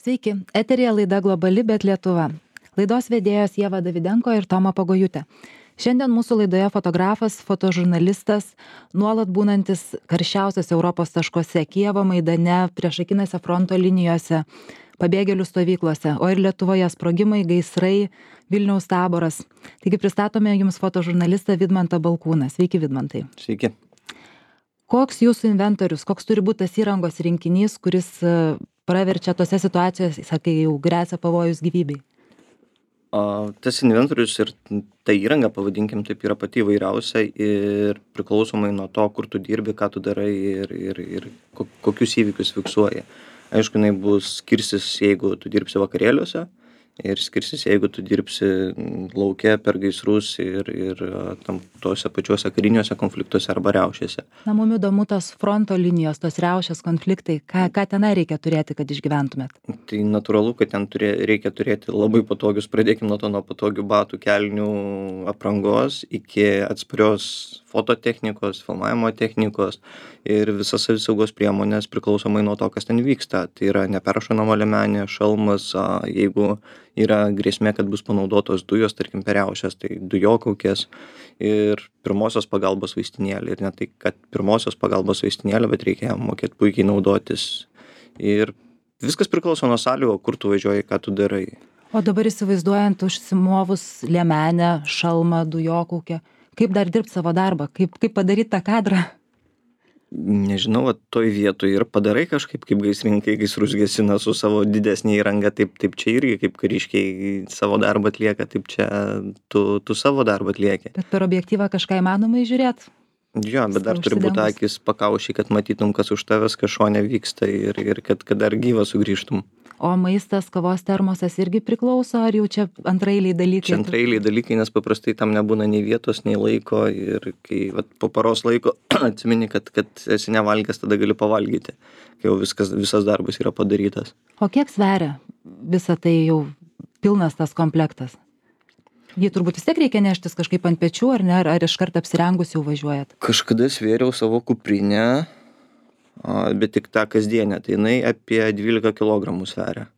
Sveiki, eterija laida Globali, bet Lietuva. Laidos vedėjos Ieva Davidenko ir Toma Pagojutė. Šiandien mūsų laidoje fotografas, fotožurnalistas, nuolat būnantis karščiausiose Europos taškuose - Kijevo Maidane, priešakinėse fronto linijose, pabėgėlių stovyklose, o ir Lietuvoje sprogimai, gaisrai, Vilniaus taboras. Taigi pristatome jums fotožurnalistą Vidmantą Balkūną. Sveiki, Vidmantai. Sveiki. Koks jūsų inventorius, koks turi būti tas įrangos rinkinys, kuris praverčia tose situacijose, kai jau gresia pavojus gyvybei? Tas inventorius ir ta įranga, pavadinkim taip, yra pati įvairiausia ir priklausomai nuo to, kur tu dirbi, ką tu darai ir kokius įvykius fiksuoji. Aišku, jinai bus skirsis, jeigu tu dirbsi vakarėliuose ir skirsis, jeigu tu dirbsi lauke per gaisrus ir tose pačiuose kariniuose konfliktuose arba riaušėse. Na, mum įdomu tos fronto linijos, tos riaušės konfliktai, ką tenai reikia turėti, kad išgyventumėt? Tai natūralu, kad ten reikia turėti labai patogius, pradėkim nuo patogių batų, kelnių, aprangos iki atsparios fototechnikos, filmavimo technikos ir visas savisaugos priemonės priklausomai nuo to, kas ten vyksta. Tai yra neperšaunama liemenė, šalmas, jeigu yra grėsmė, kad bus panaudotos dujos, tarkim, per riaušes, tai dujokaukės ir pirmosios pagalbos vaistinėlė. Ir ne tai, kad pirmosios pagalbos vaistinėlė, bet reikia mokėti puikiai naudotis. Ir viskas priklauso nuo sąlygų, kur tu važiuoji, ką tu darai. O dabar įsivaizduojant užsimovus liemenę, šalmą, dujokaukę, kaip dar dirbti savo darbą, kaip padaryti tą kadrą? Nežinau, toj vietoj ir padarai kažkaip, kaip gaisrininkai gaisrus gesina su savo didesnė įranga, taip čia irgi kaip kariškiai savo darbą atlieka, taip čia tu savo darbą atlieki. Bet per objektyvą kažką įmanoma įžiūrėti? Jo, bet dar turi būti akis pakaušiai, kad matytum, kas už tavęs, kas šone vyksta ir kad dar gyvą sugrįžtum. O maistas, kavos termosas irgi priklauso, ar jau čia antraeiliai dalykai? Čia antraeiliai dalykai, nes paprastai tam nebūna nei vietos, nei laiko ir kai po paros laiko atsimeni, kad esi nevalgęs, tada gali pavalgyti, kai jau visas darbas yra padarytas. O kiek sveria visą tai jau pilnas tas komplektas? Jį turbūt vis tiek reikia neštis kažkaip ant pečių, ar ne, ar iškart apsirengus jau važiuojat? Kažkada svėriau savo kuprinę, bet tik tą kasdienę, tai jinai apie 12 kg sveria.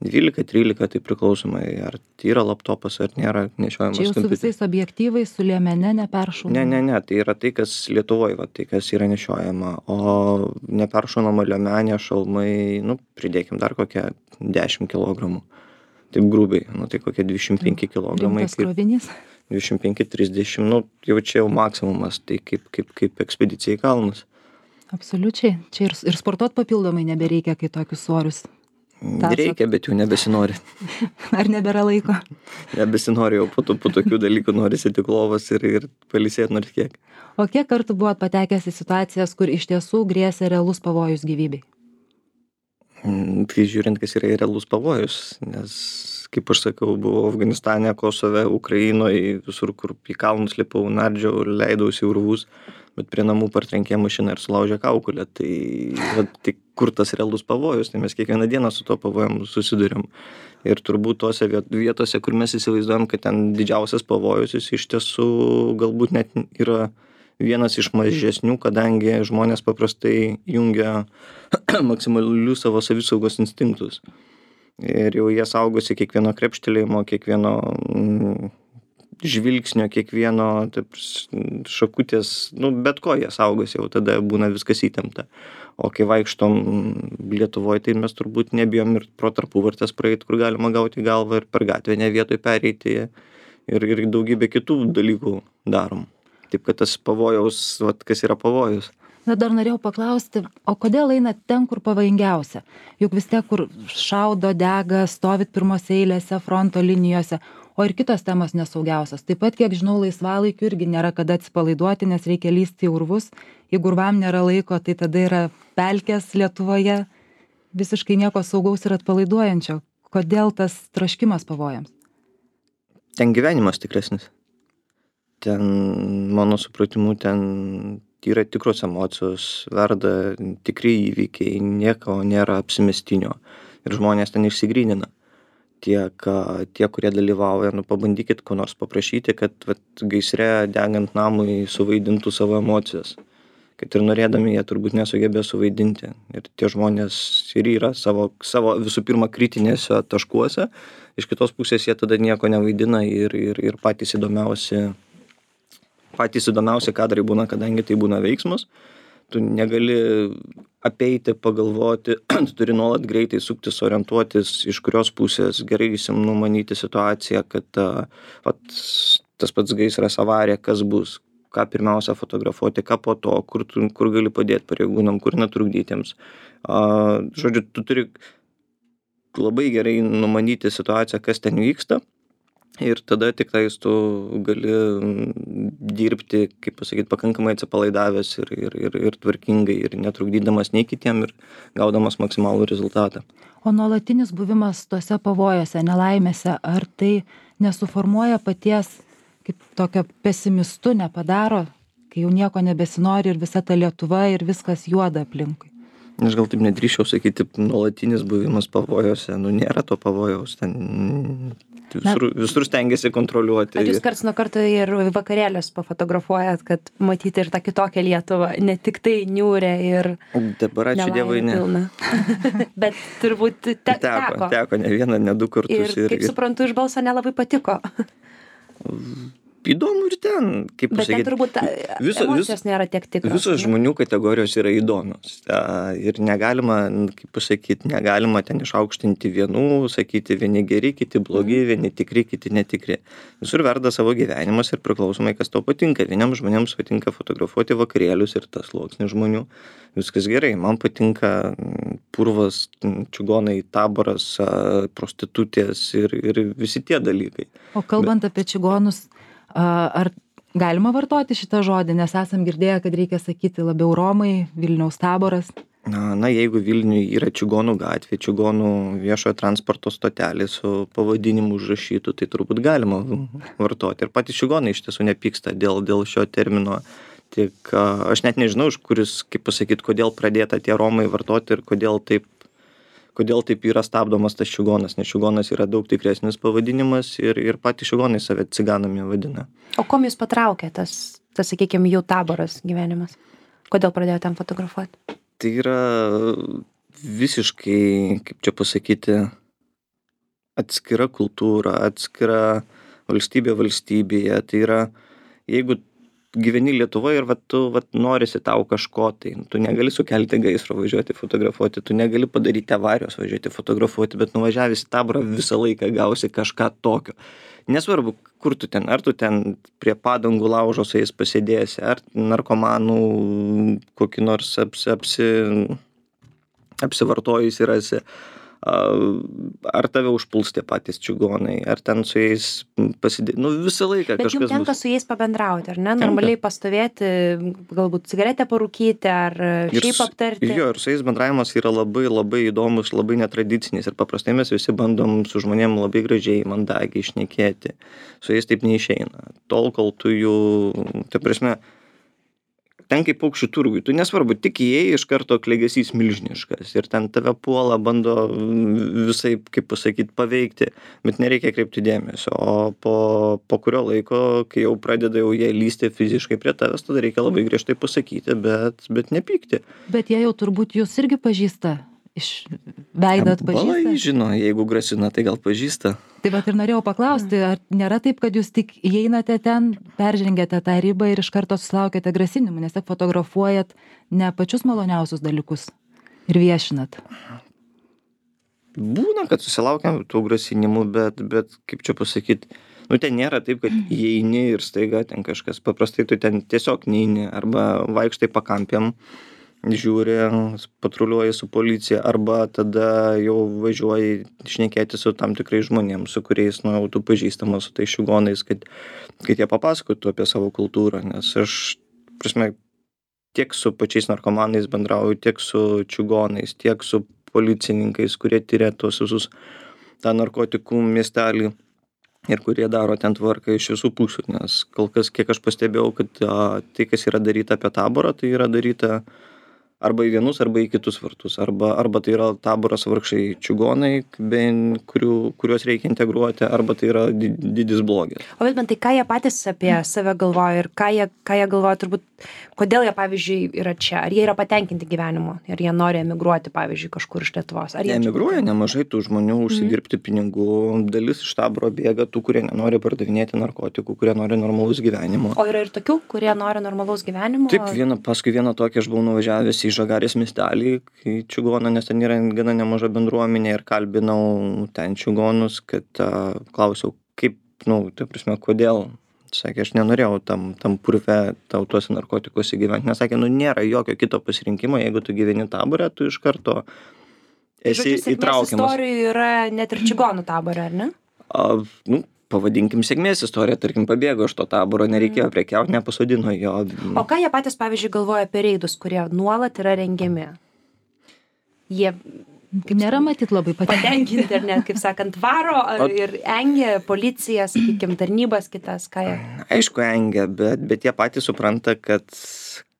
12-13, tai priklausomai, ar tai yra laptopas, ar nėra nešiojamas kompiuteris. Čia jau su visais objektyvais, su liemene neperšaunama? Ne, tai yra tai, kas Lietuvoje, tai kas yra nešiojama, o neperšaunama liemenė, šalmai, pridėkim dar kokią 10 kg. Taip grubiai, tai kokie 25 kg. Rimtas krovinys? 25-30, jau čia jau maksimumas, tai kaip ekspedicija į kalnus. Absoliučiai. Čia ir sportuot papildomai nebereikia, kai tokius svorius. Reikia, bet jau nebesinori. Ar nebėra laiko? Nebesinori, jau po tokių dalykų norisi tik lovas ir pailsėti nors kiek. O kiek kartų buvot patekęs į situacijas, kur iš tiesų grėsė realus pavojus gyvybei? Tai žiūrint, kas yra realus pavojus, nes, kaip aš sakau, buvau Afganistane, Kosove, Ukrainoje, visur, kur į kalnus lipau, nardžiau, leidausi urvus, bet prie namų partrenkė mašiną ir sulaužė kaukolę. Tai kur tas realus pavojus, tai mes kiekvieną dieną su to pavojum susiduriam. Ir turbūt tose vietose, kur mes įsivaizduojam, kad ten didžiausias pavojus, jis iš tiesų galbūt net yra vienas iš mažesnių, kadangi žmonės paprastai jungia maksimalius savo savisaugos instinktus. Ir jau jie saugosi kiekvieno krepštelėjimo, kiekvieno žvilgsnio, kiekvieno šakutės, bet ko jie saugosi, jau tada būna viskas įtempta. O kai vaikštom Lietuvoje, tai mes turbūt nebijom ir pro tarpuvartes praeiti, kur galima gauti galvą ir per gatvę ne vietoj pereiti ir daugybę kitų dalykų darom. Taip, kad tas pavojaus, kas yra pavojus. Na, dar norėjau paklausti, o kodėl einat ten, kur pavojingiausia? Juk vis tiek, kur šaudo, dega, stovit pirmose eilėse, fronto linijose, o ir kitos temos nesaugiausios. Taip pat, kiek žinau, laisvalaikiu irgi nėra kada atsipalaiduoti, nes reikia lysti į urvus. Jeigu urvam nėra laiko, tai tada yra pelkės Lietuvoje, visiškai nieko saugaus ir atpalaiduojančio. Kodėl tas troškimas pavojams? Ten gyvenimas tikresnis. Ten, mano supratimu, ten yra tikros emocijos, verda tikri įvykiai, nieko nėra apsimestinio ir žmonės ten išsigrynina. Tie, kurie dalyvauja, pabandykit ko nors paprašyti, kad gaisre degant namui suvaidintų savo emocijas. kad ir norėdami jie turbūt nesugebės suvaidinti. Ir tie žmonės ir yra savo visų pirma kritinėse taškuose, iš kitos pusės jie tada nieko nevaidina ir patys įdomiausi kadrai būna, kadangi tai būna veiksmas. Tu negali apeiti, pagalvoti, tu turi nuolat greitai suktis, orientuotis, iš kurios pusės gerai numanyti situaciją, kad tas pats gaisras, avarija, kas bus, ką pirmiausia fotografuoti, ką po to, kur gali padėti pareigūnam, kur netrukdytiems. Žodžiu, tu turi labai gerai numanyti situaciją, kas ten vyksta. Ir tada tik tais tu gali dirbti, kaip pasakyti, pakankamai atsipalaidavęs ir tvarkingai ir netrukdydamas nei kitiem ir gaudamas maksimalų rezultatą. O nuolatinis buvimas tose pavojose, nelaimėse, ar tai nesuformuoja paties kaip tokio pesimistu, nepadaro, kai jau nieko nebesinori ir visa ta Lietuva ir viskas juoda aplinkui? Aš gal taip nedrįsčiau sakyti, nuolatinis buvimas pavojose, nėra to pavojaus, ten visur stengiasi kontroliuoti. Ar jūs karts nuo karto ir vakarėlius pafotografuojat, kad matyti ir tą kitokią Lietuvą, ne tik tai niūrę ir dabar ačiū Dievui, ne. Bet turbūt teko. Teko ne vieną, ne du kartus. Ir kaip suprantu, iš balso nelabai patiko. Įdomu ir ten, kaip pasakyti. Bet ten turbūt emocijos nėra tiek tikros. Visos žmonių kategorijos yra įdomios. Ir negalima, kaip pasakyti, negalima ten išaukštinti vienų, sakyti vieni geri, kiti blogi, vieni tikri, kiti netikri. Visur verda savo gyvenimas ir priklausomai, kas tau patinka. Vieniems žmonėms patinka fotografuoti vakarėlius ir tas sluoksnis žmonių. Viskas gerai. Man patinka purvas, čigonai, taboras, prostitutės ir visi tie dalykai. O kalbant apie čigonus, ar galima vartoti šitą žodį, nes esam girdėję, kad reikia sakyti labiau Romai, Vilniaus taboras? Na, jeigu Vilniuje yra čigonų gatvė, čigonų viešojo transporto stotelė su pavadinimu užrašytų, tai turbūt galima vartoti. Ir patys čigonai iš tiesų nepyksta dėl šio termino. Tik aš net nežinau, iš kuris, kaip pasakyti, kodėl pradėta tie Romai vartoti ir kodėl taip yra stabdomas tas čigonas, nes čigonas yra daug tikresnis pavadinimas ir patys čigonai save ciganami vadina. O kom jūs patraukė tas sakykime, jų taboras gyvenimas? Kodėl pradėjote ten fotografuoti? Tai yra visiškai, kaip čia pasakyti, atskira kultūra, atskira valstybė valstybėje. Tai yra, jeigu gyveni Lietuvoje ir tu norisi tau kažko, tai tu negali sukelti gaisro važiuoti fotografuoti, tu negali padaryti avarijos važiuoti fotografuoti, bet nuvažiavęs į taborą visą laiką gausi kažką tokio. Nesvarbu, kur tu ten, ar tu ten prie padangų laužo su jais pasėdėsi, ar narkomanų kokį nors apsivartojusi rasi, ar tave užpuls tie patys čigonai, ar ten su jais pasidėti, visą laiką bet kažkas bus. Bet jums tenka su jais pabendrauti, ar ne? Normaliai pastovėti, galbūt cigaretę parūkyti, ar šiaip aptarti. Jo, ir su jais bendravimas yra labai, labai įdomus, labai netradicinis ir paprastai mes visi bandom su žmonėm labai gražiai, mandagiai šnekėti. Su jais taip neišeina. Tol, kol tu jų, tai prasme, ten kaip paukščių turgui, tu nesvarbu, tik įėjai iš karto klegesys milžiniškas ir ten tave puola, bando visai, kaip pasakyti, paveikti, bet nereikia kreipti dėmesio, o po kurio laiko, kai jau pradeda jie lysti fiziškai prie tavęs, tada reikia labai griežtai pasakyti, bet nepykti. Bet jie jau turbūt jūs irgi pažįsta, iš veido atpažįsta? Balai žino, jeigu grasina, tai gal pažįsta. Tai vat ir norėjau paklausti, ar nėra taip, kad jūs tik įeinate ten, peržengiate tą ribą ir iš karto susilaukėte grasinimų, nes tik fotografuojat ne pačius maloniausius dalykus ir viešinat? Būna, kad susilaukiam tų grasinimų, bet kaip čia pasakyti, ten nėra taip, kad įeini ir staiga ten kažkas, paprastai tu ten tiesiog neini arba vaikštai pakampėm, žiūri, patruliuoji su policija, arba tada jau važiuoji šnekėti su tam tikrais žmonėms, su kuriais, tu pažįstamas su tais čigonais, kad jie papasakotų apie savo kultūrą, nes aš, prasme, tiek su pačiais narkomanais bendrauju, tiek su čigonais, tiek su policininkais, kurie tyria tuos visus tą narkotikų miestelį ir kurie daro ten tvarką iš visų pusių, nes kol kas, kiek aš pastebėjau, kad tai, kas yra daryta apie taborą, tai yra daryta arba į vienus, arba į kitus vartus. Arba tai yra taboras vargšai čigonai, kuriuos reikia integruoti, arba tai yra didis blogis. O Vidmantai, ką jie patys apie save galvoja ir ką jie galvoja turbūt, kodėl jie, pavyzdžiui, yra čia? Ar jie yra patenkinti gyvenimu? Ar jie nori emigruoti, pavyzdžiui, kažkur iš Lietuvos? Jie emigruoja nemažai tų žmonių, užsidirbti pinigų. Dalis iš taboro bėga tų, kurie nenori pardavinėti narkotikų, kurie nori normalaus gyvenimo. O yra ir tokių, kurie nori normalaus gyvenimo? Taip, paskui vieną tokį aš buvau nuvažiavęs į Žagarės miestelį, į čigoną, nes ten yra gana nemaža bendruomenė ir kalbinau ten čigonus, kad klausiau, kaip, ta prasme, kodėl. Sakė, aš nenorėjau tam purve tuose narkotikuose gyventi, nes sakė, nėra jokio kito pasirinkimo, jeigu tu gyveni tabore, tu iš karto esi įtraukiamas. Istorijų yra net ir čigonų tabore, ar ne? Pavadinkim sėkmės istoriją, tarkim, pabėgo iš to taboro, nereikėjo prekiauti, nepasodino jo. O ką jie patys, pavyzdžiui, galvoja apie reidus, kurie nuolat yra rengiami? Jie nėra matyt labai patenkinti, ar net, kaip sakant, varo ir engia policiją, sakykime, tarnybas kitas, ką jie? Aišku, engia, bet jie patys supranta, kad,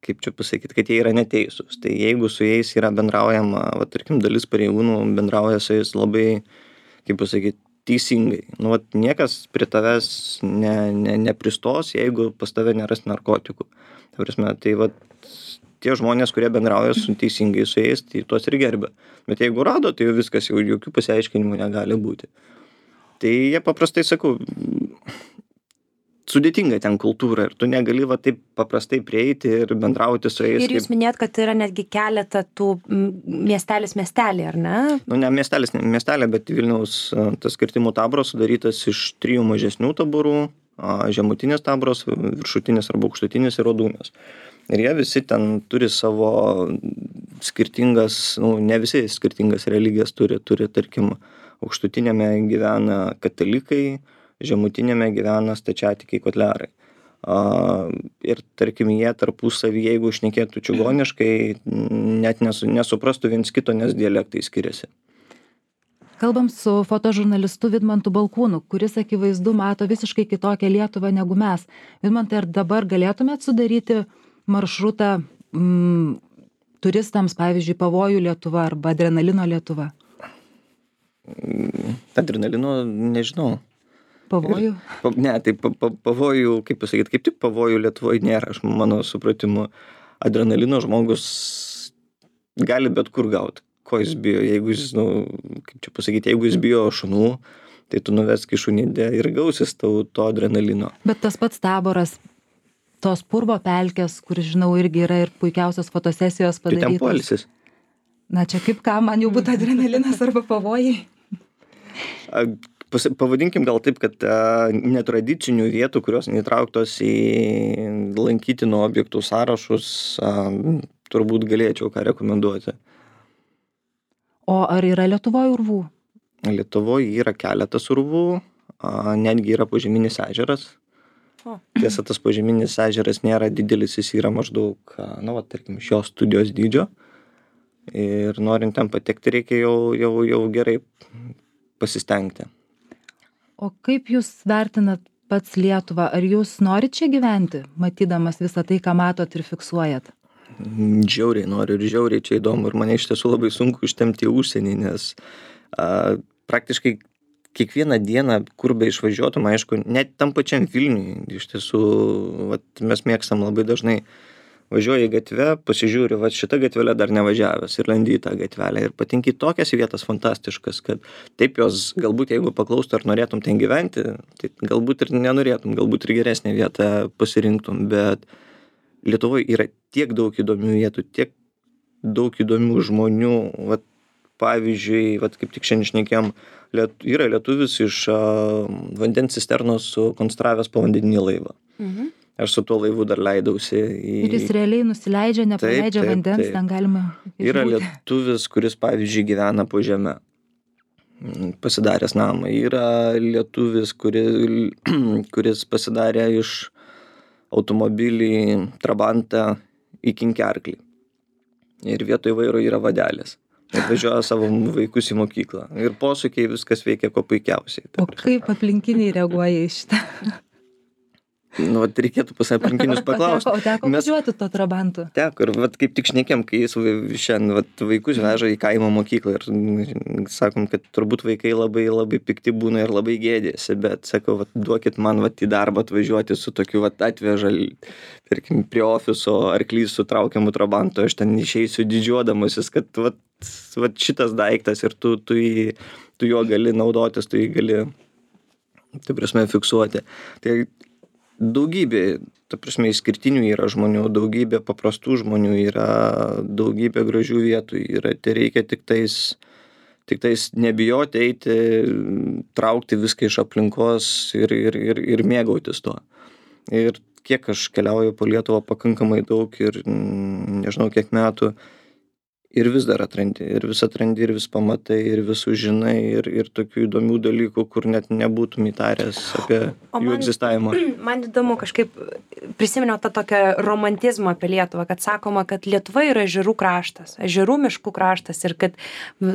kaip čia pasakyti, kad jie yra neteisūs. Tai jeigu su jais yra bendraujama, tarkim, dalis pareigūnų bendrauja su jais labai, kaip pasakyti, teisingai. Niekas prie tavęs nepristos, jeigu pas tave neras narkotikų. Tai tie žmonės, kurie bendrauja teisingai su jais, tai tuos ir gerbia. Bet jeigu rado, tai jau viskas, jau jokių pasiaiškinimų negali būti. Tai jie paprastai, sakau, sudėtinga ten kultūra ir tu negali taip paprastai prieiti ir bendrauti su jais. Ir jūs minėjot, kad yra netgi keletą tų miestelį, ar ne? Ne miestelė, bet Vilniaus tas kirtimų taboras sudarytas iš 3 mažesnių taborų, žemutinės taboras, viršutinis arba aukštutinis ir Rodūnios. Ir jie visi ten turi savo skirtingas, ne visi skirtingas religijas turi, tarkim, aukštutinėme gyvena katalikai, žemutinėme gyvena stačiatikiai kotlerai. Ir tarkim, jie tarpusavy, jeigu šnekėtų čigoniškai, net nesuprastų viens kito, nes dialektai skiriasi. Kalbam su fotožurnalistu Vidmantu Balkūnu, kuris akivaizdu mato visiškai kitokią Lietuvą negu mes. Vidmantai, ar dabar galėtumėt sudaryti maršrutą turistams, pavyzdžiui, Pavojų Lietuva arba Adrenalino Lietuva? Adrenalino nežinau. Pavojų? Ne, tai pavojų, kaip pasakyti, kaip tik pavojų Lietuvoje nėra, aš mano supratimu. Adrenalino žmogus gali bet kur gauti. Ko jis bijo? Jeigu jis, kaip čia pasakyti, jeigu jis bijo šunų, tai tu nuvesk į šunidę ir gausis to adrenalino. Bet tas pats taboras, tos purvo pelkės, kur, žinau, irgi yra ir puikiausios fotosesijos padarytos. Tai ten poilsis. Na, čia kaip ką, man jau būtų adrenalinas arba pavojai? Pavadinkim gal taip, kad netradicinių vietų, kurios neįtrauktos į lankytinų objektų sąrašus, turbūt galėčiau ką rekomenduoti. O ar yra Lietuvoje urvų? Lietuvoje yra keletas urvų, netgi yra požeminis ežeras. Tiesa, tas požeminis ežeras nėra didelis, jis yra maždaug, tarkim, šios studijos dydžio. Ir norint ten patekti, reikia jau gerai pasistengti. O kaip jūs vertinat pats Lietuvą? Ar jūs norit čia gyventi, matydamas visą tai, ką matot ir fiksuojat? Žiauriai noriu ir žiauriai čia įdomu. Ir mane iš tiesų labai sunku ištempti į užsienį, nes praktiškai kiekvieną dieną, kur be išvažiuotum, aišku, net tam pačiam Vilniui, iš tiesų, mes mėgstam labai dažnai važiuoji gatvę, pasižiūri, šitą gatvelę dar nevažiavęs ir lendi į tą gatvelę ir patinki tokias vietas fantastiškas, kad taip jos, galbūt jeigu paklaustų, ar norėtum ten gyventi, tai galbūt ir nenorėtum, galbūt ir geresnę vietą pasirinktum, bet Lietuvoje yra tiek daug įdomių vietų, tiek daug įdomių žmonių, pavyzdžiui, kaip tik šiandien šnekėjom, yra lietuvis iš vandens cisternos sukonstravęs povandeninį laivą. Aš su tuo laivu dar leidausi. Ir jis realiai nusileidžia, nepaleidžia vandens, ten galima išbūti. Yra lietuvis, kuris, pavyzdžiui, gyvena po žeme, pasidaręs namą. Yra lietuvis, kuris pasidarė iš automobilį Trabantą į kinkerklį. Ir vietoj vairo yra vadelis. Ir važiuoja savo vaikus į mokyklą. Ir posūkiai viskas veikia kuo puikiausiai. O kaip aplinkiniai reaguoja į šitą? Nu, vat reikėtų pas aplinkinius paklausti. O teko važiuoti to trabantu? Teko, ir vat kaip tik šnekėm, kai jis šiandien vat vaikus veža į kaimo mokyklą ir sakom, kad turbūt vaikai labai labai pikti būna ir labai gėdėsi, bet sakau, vat duokit man vat į darbą atvažiuoti su tokiu vat atveža, tarkim, prie ofiso arklys su traukiamu trabantu, aš ten išeisiu didžiuodamasis, kad vat šitas daiktas ir tu juo gali naudotis, tu jį gali, tai prasme, fiksuoti. Tai daugybė, ta prasme, išskirtinių yra žmonių, daugybė paprastų žmonių yra, daugybė gražių vietų yra. Tai reikia tik tais nebijoti eiti, traukti viską iš aplinkos ir mėgautis tuo. Ir kiek aš keliauju po Lietuvą pakankamai daug ir nežinau kiek metų, ir vis dar atrandi, ir vis pamatai, ir vis sužinai, ir tokių įdomių dalykų, kur net nebūtum įtaręs apie jų egzistavimą. Man įdomu, kažkaip prisiminiau tą tokią romantizmą apie Lietuvą, kad sakoma, kad Lietuva yra ežerų kraštas, ežerų miškų kraštas ir kad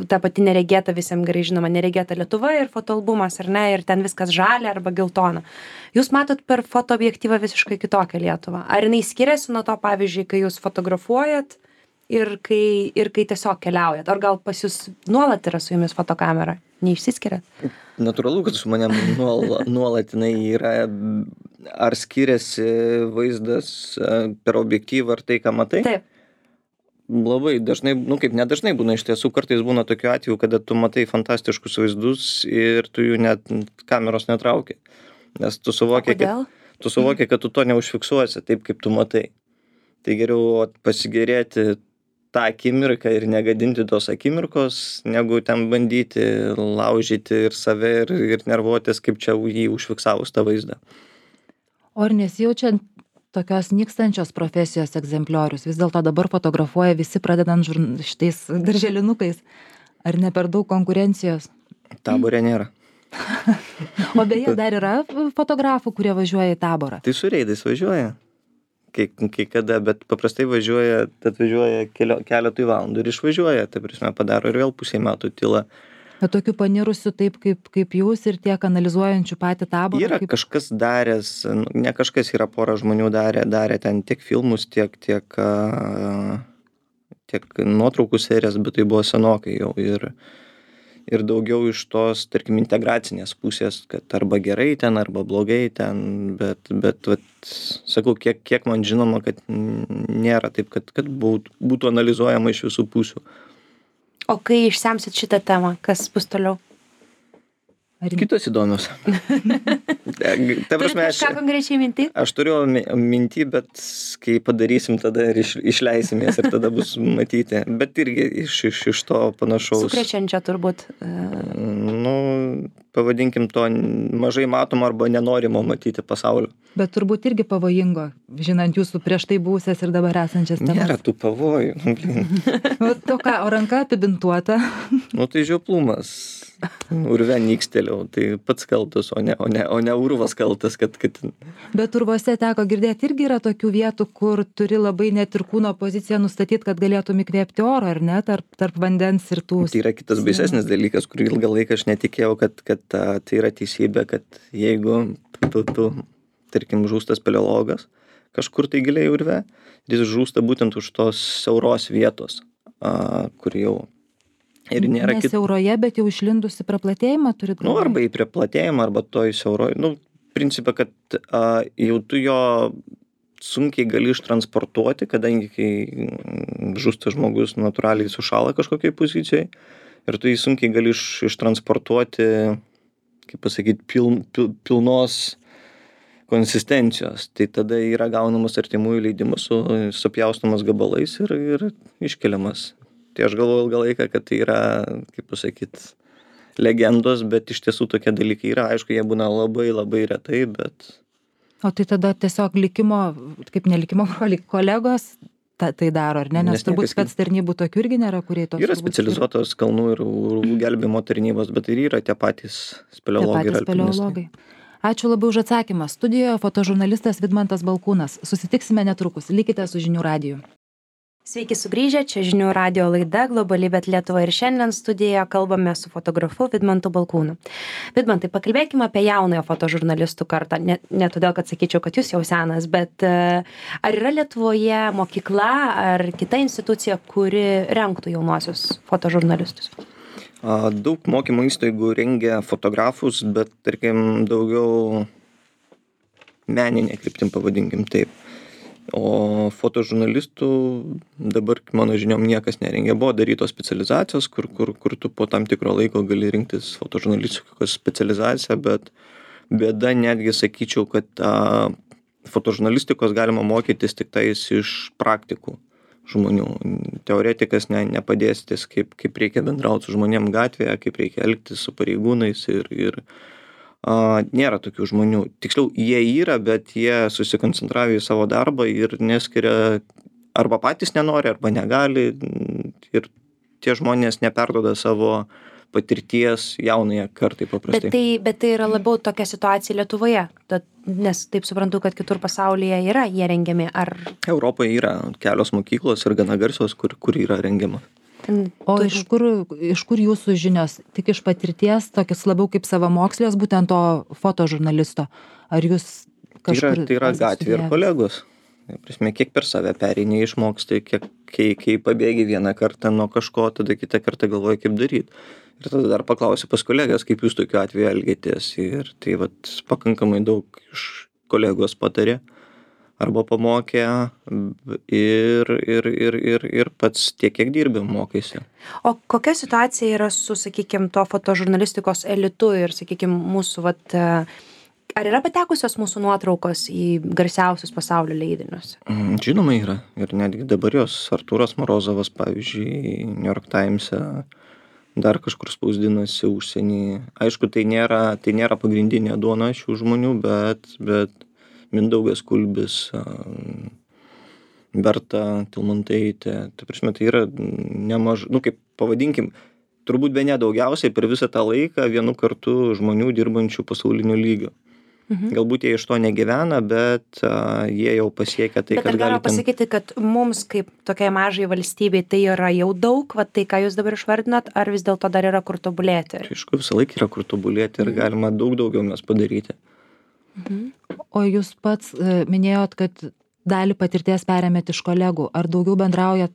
ta pati neregėta, visiems gerai žinoma, neregėta Lietuva ir fotoalbumas, ar ne, ir ten viskas žalia arba geltona. Jūs matot per fotoobjektyvą visiškai kitokią Lietuvą. Ar jinai skiriasi nuo to, pavyzdžiui, kai jūs fotografuojat ir kai tiesiog keliaujat? Ar gal pas jūs nuolat yra su jumis fotokamera? Neišsiskiriat? Natūralu, kad su manim nuolat jinai yra. Ar skiriasi vaizdas per objektyvą ar tai, ką matai? Taip. Labai dažnai, kaip nedažnai būna iš tiesų, kartais būna tokių atvejų, kada tu matai fantastiškus vaizdus ir tu jų net kameros netrauki. Nes tu suvoki, kad tu to neužfiksuosi taip, kaip tu matai. Tai geriau pasigerėti tą akimirką ir negadinti tos akimirkos, negu ten bandyti laužyti ir save ir nervuotis, kaip čia jį užfiksavus tą vaizdą. O ar nesijaučiant tokios nykstančios profesijos egzempliorius? Vis dėlto dabar fotografuoja visi, pradedant šitais darželinukais. Ar ne per daug konkurencijos? Taborė nėra. O beje, dar yra fotografų, kurie važiuoja į Taborą? Tai su reidais važiuoja. Kai kada, bet paprastai atvažiuoja keletui valandų ir išvažiuoja, tai prasme padaro ir vėl pusę metų tyla. Bet tokių panirusių taip kaip jūs ir tiek analizuojančių patį Taborą? Yra kažkas daręs, ne kažkas, yra pora žmonių darė ten tiek filmus, tiek nuotraukų serijas, bet tai buvo senokai jau ir daugiau iš tos, tarkim, integracinės pusės, kad arba gerai ten, arba blogai ten, bet sakau, kiek man žinoma, kad nėra taip, kad būtų analizuojama iš visų pusių. O kai išsemsit šitą temą, kas bus toliau? Kitos įdomios. Turit kažką konkrečiai mintį? Aš turiu mintį, bet kai padarysim, tada ir išleisimės ir tada bus matyti. Bet irgi iš to panašaus. Sukrečiančio turbūt. Pavadinkim to mažai matomo arba nenorimo matyti pasaulio. Bet turbūt irgi pavojingo, žinant jūsų prieš tai buvusias ir dabar esančias temas. Nėra tų pavojų. O ranka apibintuota? Tai žioplumas. Urve nyksteliau, tai pats kaltas, o ne urvas kaltas, kad... Bet urvose teko girdėti, irgi yra tokių vietų, kur turi labai net ir kūno poziciją nustatyti, kad galėtum įkvėpti oro, ar ne, tarp vandens ir tų... Tai yra kitas baisesnis dalykas, kur ilgą laiką aš netikėjau, kad tai yra teisybė, kad jeigu tu tarkim, žūsta speleologas kažkur tai giliai urve, jis žūsta būtent už tos siauros vietos, kur jau... Ir nėra ne siauroje, bet jau išlindusi praplatėjimą turit galvoje? Arba į praplatėjimą, arba toj siauroje. Principą, kad jau tu jo sunkiai gali ištransportuoti, kadangi kai žūsta žmogus natūraliai sušala kažkokiai pozicijai ir tu jį sunkiai gali ištransportuoti, kaip pasakyti, pilnos konsistencijos. Tai tada yra gaunamas artimųjų leidimas, supjaustomas gabalais ir iškeliamas. Tai aš galvoju ilgą laiką, kad tai yra, kaip pasakyti, legendos, bet iš tiesų tokie dalykai yra. Aišku, jie būna labai, labai retai, bet... O tai tada tiesiog likimo, kaip nelikimo kolegos tai daro, ar ne? Nes turbūt spec tarnybų tokių irgi nėra, kurie tos... Yra specializuotos kalnų ir gelbėjimo tarnybos, bet ir yra tie patys speleologai ir alpinistai. Ačiū labai už atsakymą. Studijoje fotožurnalistas Vidmantas Balkūnas. Susitiksime netrukus. Likite su Žinių radiju. Sveiki sugrįžę, čia žinių radio laida Globali, bet Lietuva ir šiandien studijoje kalbame su fotografu Vidmantu Balkūnu. Vidmantai, pakalbėkime apie jaunojo fotožurnalistų kartą. Ne todėl, kad sakyčiau, kad jūs jau senas, bet ar yra Lietuvoje mokykla ar kita institucija, kuri renktų jaunuosius fotožurnalistus? Daug mokymo įstaigų rengia fotografus, bet, tarkim, daugiau meninė kryptim, pavadinkim taip. O fotožurnalistų dabar, mano žiniom, niekas nerengia. Buvo darytos specializacijos, kur tu po tam tikro laiko gali rinktis fotožurnalistikos specializaciją, bet bėda netgi sakyčiau, kad fotožurnalistikos galima mokytis tik tais iš praktikų žmonių. Teoretikas nepadėstis, kaip reikia bendrauti su žmonėm gatvėje, kaip reikia elgtis su pareigūnais ir nėra tokių žmonių. Tiksliau, jie yra, bet jie susikoncentravę į savo darbą ir neskiria, arba patys nenori, arba negali. Ir tie žmonės neperduoda savo patirties jaunąją kartai paprastai. Bet tai yra labiau tokia situacija Lietuvoje, nes taip suprantu, kad kitur pasaulyje yra jie rengiami. Europoje yra kelios mokyklos ir gana garsios, kur yra rengiama. O iš kur jūsų žinios? Tik iš patirties, tokius labiau kaip savamokslės, būtent to fotožurnalisto? Ar jūs kažkur... Tai yra gatvė ir kolegos. Prasme, kiek per save pereini išmoksti, kai pabėgi vieną kartą nuo kažko, tada kitą kartą galvoji, kaip daryti. Ir tada dar paklausi pas kolegas, kaip jūs tokiu atveju elgėtės. Ir tai pakankamai daug iš kolegos patarė arba pamokė ir pats tiek, kiek dirbi, mokaisi. O kokia situacija yra su, sakykime, to fotožurnalistikos elitu ir, sakykime, mūsų, ar yra patekusios mūsų nuotraukos į garsiausius pasaulio leidinius? Žinoma yra. Ir netgi dabar jos Artūras Morozovas, pavyzdžiui, New York Times'e dar kažkur spausdinasi užsienį. Aišku, tai nėra pagrindinė duona šių žmonių, bet Mindaugas Kulbis, Berta Tilmantaitė, tai yra nemažai, kaip pavadinkim, turbūt be nedaugiausiai per visą tą laiką vienu kartu žmonių dirbančių pasauliniu lygiu. Galbūt jie iš to negyvena, bet jie jau pasiekia tai, kad gali... Bet ar galima pasakyti, kad mums kaip tokiai mažai valstybei tai yra jau daug, tai ką jūs dabar išvardinat, ar vis dėlto dar yra kur tobulėti? Aišku, visą laiką yra kur tobulėti ir galima daugiau mes padaryti. O jūs pats minėjot, kad dalį patirties perėmėt iš kolegų. Ar daugiau bendraujat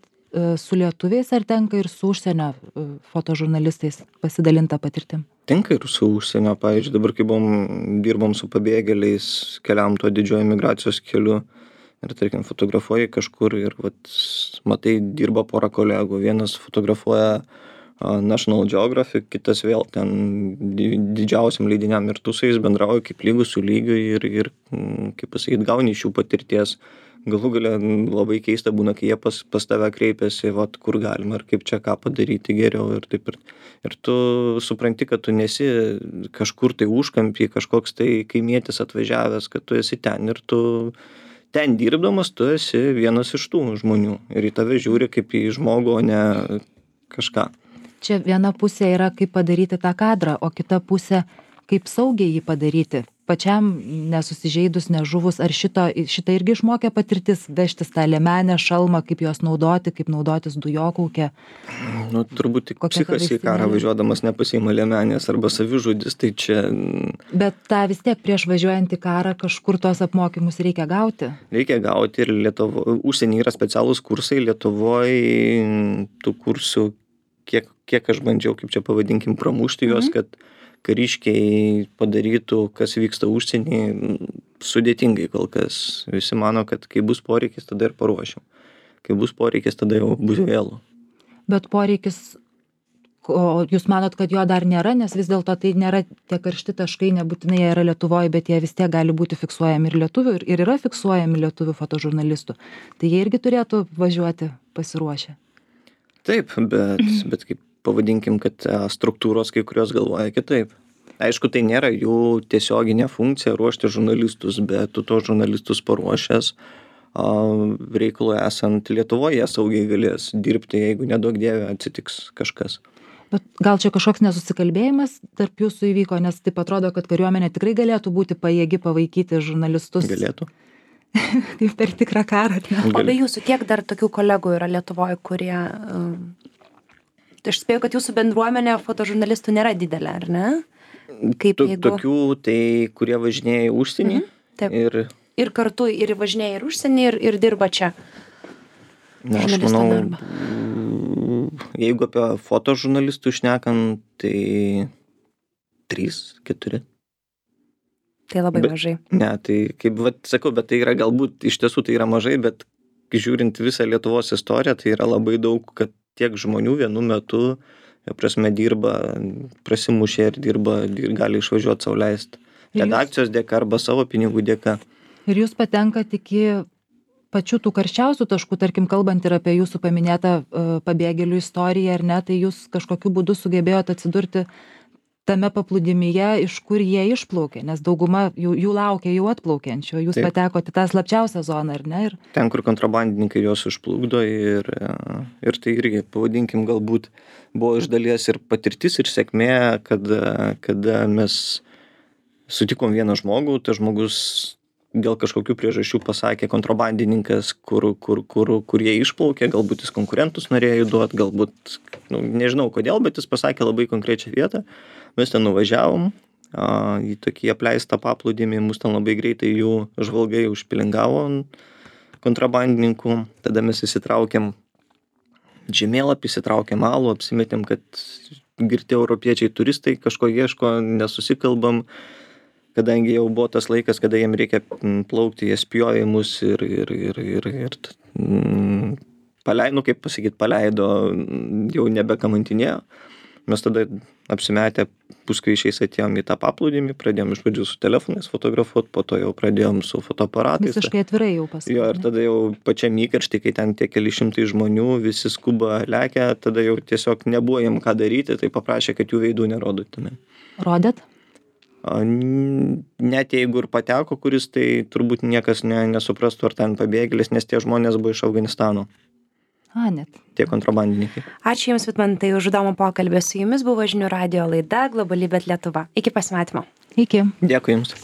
su lietuviais, ar tenka ir su užsienio fotožurnalistais pasidalinta patirtim? Tenka ir su užsienio, pavyzdžiui, dabar kai dirbom su pabėgėliais, keliam tuo didžiojo migracijos keliu ir, tarkim, fotografuoji kažkur ir matai, dirba pora kolegų. Vienas fotografuoja National Geographic, kitas vėl ten didžiausiam leidiniam ir tu su jais bendrauji kaip lygus su lygiu ir kaip pasakyti, gauni iš jų patirties. Galų gale labai keista būna, kai jie pas tave kreipiasi, kur galima ir kaip čia ką padaryti geriau ir taip. Ir tu supranti, kad tu nesi kažkur tai užkampy, kažkoks tai kaimietis atvažiavęs, kad tu esi ten ir tu ten dirbdamas, tu esi vienas iš tų žmonių ir į tave žiūri kaip į žmogų, o ne kažką. Čia viena pusė yra, kaip padaryti tą kadrą, o kita pusė, kaip saugiai jį padaryti. Pačiam nesusižeidus, nežuvus, ar šitą irgi išmokė patirtis, vežtis tą liemenę, šalmą, kaip juos naudoti, kaip naudotis dujokaukę? Turbūt tik psichas į karą važiuodamas nepasiima liemenės arba savižudis, tai čia... Bet tą vis tiek prieš važiuojant į karą kažkur tos apmokymus reikia gauti? Reikia gauti ir užsienį yra specialūs kursai, Lietuvoje tų kursų kiek aš bandžiau, kaip čia pavadinkim, pramušti juos, kad kariškiai padarytų, kas vyksta užsienį, sudėtingai kol kas. Visi mano, kad kai bus poreikis, tada ir paruošim. Kai bus poreikis, tada jau bus vėlu. Bet poreikis, o jūs manot, kad jo dar nėra, nes vis dėlto tai nėra tie karšti taškai, nebūtinai jie yra Lietuvoje, bet jie vis tiek gali būti fiksuojami ir lietuvių, ir yra fiksuojami lietuvių fotožurnalistų. Tai jie irgi turėtų važiuoti pasiruošę. Taip, bet kaip pavadinkim, kad struktūros kai kurios galvoja kitaip. Aišku, tai nėra jų tiesioginė funkcija ruošti žurnalistus, bet tu to žurnalistus paruošęs, reikalui esant Lietuvoje saugiai galės dirbti, jeigu neduok dieve atsitiks kažkas. Bet gal čia kažkoks nesusikalbėjimas tarp jūsų įvyko, nes taip atrodo, kad kariuomenė tikrai galėtų būti pajėgi pavaikyti žurnalistus. Galėtų. kaip per tikrą karą. O be jūsų, kiek dar tokių kolegų yra Lietuvoje, kurie... Aš spėjau, kad jūsų bendruomenė fotožurnalistų nėra didelė, ar ne? Kaip jeigu... Tokių, tai kurie važinėja į užsienį. Taip. Ir kartu ir važinėja ir užsienį, ir dirba čia. Na, aš manau, jeigu apie fotožurnalistų šnekant, tai 3-4. Tai labai mažai. Ne, tai kaip sakau, bet tai yra galbūt, iš tiesų tai yra mažai, bet žiūrint visą Lietuvos istoriją, tai yra labai daug, kad tiek žmonių vienu metu, prasme, dirba, prasimušė ir dirba, ir gali išvažiuoti sau leisti. Redakcijos dėka arba savo pinigų dėka. Ir jūs patenkat iki pačių tų karščiausių taškų, tarkim, kalbant ir apie jūsų paminėtą pabėgėlių istoriją, ar ne, tai jūs kažkokiu būdu sugebėjote atsidurti tame paplūdimyje, iš kur jie išplaukė, nes dauguma jų laukia jau atplaukiančio, jūs patekote tą slapčiausią zoną, ar ne? Ir... Ten, kur kontrabandininkai juos užplukdo ir tai irgi, pavadinkim, galbūt buvo iš dalies ir patirtis, ir sėkmė, kada mes sutikom vieną žmogų, tas žmogus dėl kažkokių priežasčių pasakė kontrabandininkas, kur jie išplaukė, galbūt jis konkurentus norėjo duoti, galbūt, nežinau kodėl, bet jis pasakė labai konkrečią vietą. Mes ten nuvažiavom į tokį apleistą paplūdimį, mus ten labai greitai jų žvalgai užpilingavo kontrabandininkų. Tada mes įsitraukėm žemėlapį, įsitraukėm alų, apsimetėm, kad girti europiečiai turistai kažko ieško, nesusikalbam, kadangi jau buvo tas laikas, kada jiem reikia plaukti, jie spjojo į mus ir paleido, kaip pasakyti, paleido, jau nebekamantinėjo. Mes tada apsimetę puskaičiais atėjom į tą paplūdimį, pradėjom iš pradžių su telefonais fotografuoti, po to jau pradėjom su fotoaparatais. Visiškai atvirai jau pasakė. Jo, ir tada jau pačiam įkarštį, kai ten tie keli šimtai žmonių, visi skuba lekia, tada jau tiesiog nebuvo jiem ką daryti, tai paprašė, kad jų veidų nerodytume. Rodėt? Net jeigu ir pateko, kuris, tai turbūt niekas nesuprastų, ar ten pabėgėlis, nes tie žmonės buvo iš Afganistano. Net. Tie kontrabandininkai. Ačiū Jums, Vidmantai, už įdomų pokalbį. Su Jumis buvo Žinių radijo laida Globali, bet Lietuva. Iki pasimatymo. Iki. Dėkui Jums.